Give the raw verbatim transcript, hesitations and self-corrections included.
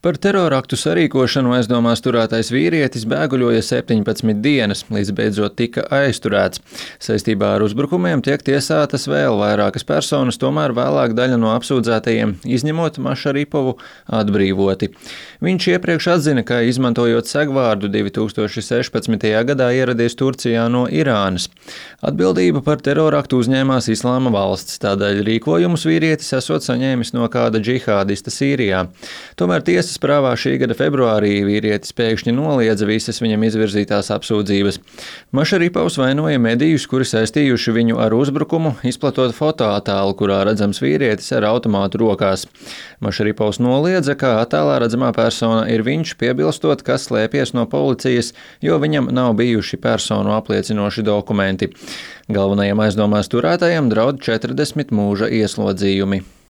Par teroraktu sarīkošanu aizdomās turētais vīrietis bēguļoja septiņpadsmit dienas, līdz beidzot tika aizturēts. Saistībā ar uzbrukumiem tiek tiesātas vēl vairākas personas, tomēr vēlāk daļa no apsūdzētajiem, izņemot Mašaripovu, atbrīvoti. Viņš iepriekš atzina, ka izmantojot segvārdu divi tūkstoši sešpadsmitajā gadā ieradies Turcijā no Irānas. Atbildību par teroraktu uzņēmās Islāma valsts, tādēļ rīkojumus vīrietis esot saņēmis no kāda džihādista Sīrijā. Tomēr tiesas prāvā šī gada februārī vīrietis pēkšņi noliedza visas viņam izvirzītās apsūdzības. Mašaripovs vainoja medijus, kuri saistījuši viņu ar uzbrukumu, izplatot fotoattēlu, kurā redzams vīrietis ar automātu rokās. Mašaripovs noliedza, ka attēlā redzamā persona ir viņš, piebilstot, ka slēpjas no policijas, jo viņam nav bijuši personu apliecinoši dokumenti. Galvenajam aizdomās turētajam draud četrdesmit mūža ieslodzījumi.